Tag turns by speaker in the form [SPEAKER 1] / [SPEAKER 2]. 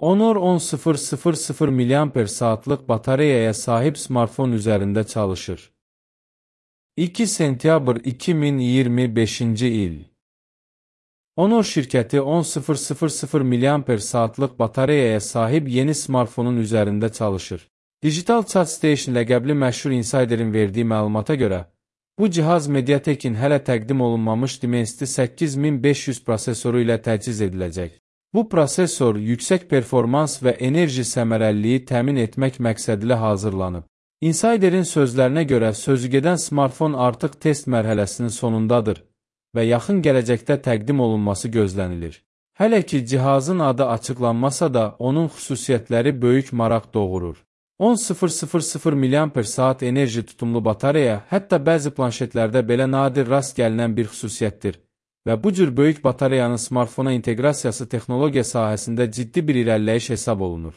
[SPEAKER 1] Honor 10000 mAh batareyaya sahip smartfon üzərində çalışır. 2 sentyabr 2025-ci il. Honor şirkəti 10000 mAh batareyaya sahib yeni smartfonun üzərində çalışır. Digital Chat Station ləqəbli məşhur insiderin verdiyi məlumata görə, bu cihaz Mediatek'in hələ təqdim olunmamış Dimensity 8500 prosesoru ilə təchiz ediləcək. Bu prosesor yüksək performans və enerji səmərəliliyi təmin etmək məqsədilə hazırlanıb. Insiderin sözlərinə görə sözügedən smartfon artıq test mərhələsinin sonundadır və yaxın gələcəkdə təqdim olunması gözlənilir. Hələ ki cihazın adı açıqlanmasa da onun xüsusiyyətləri böyük maraq doğurur. 10000 mAh enerji tutumlu batareya hətta bəzi planşetlərdə belə nadir rast gəlinən bir xüsusiyyətdir və bu cür böyük batareyanın smartfona inteqrasiyası texnologiya sahəsində ciddi bir irəliləyiş hesab olunur.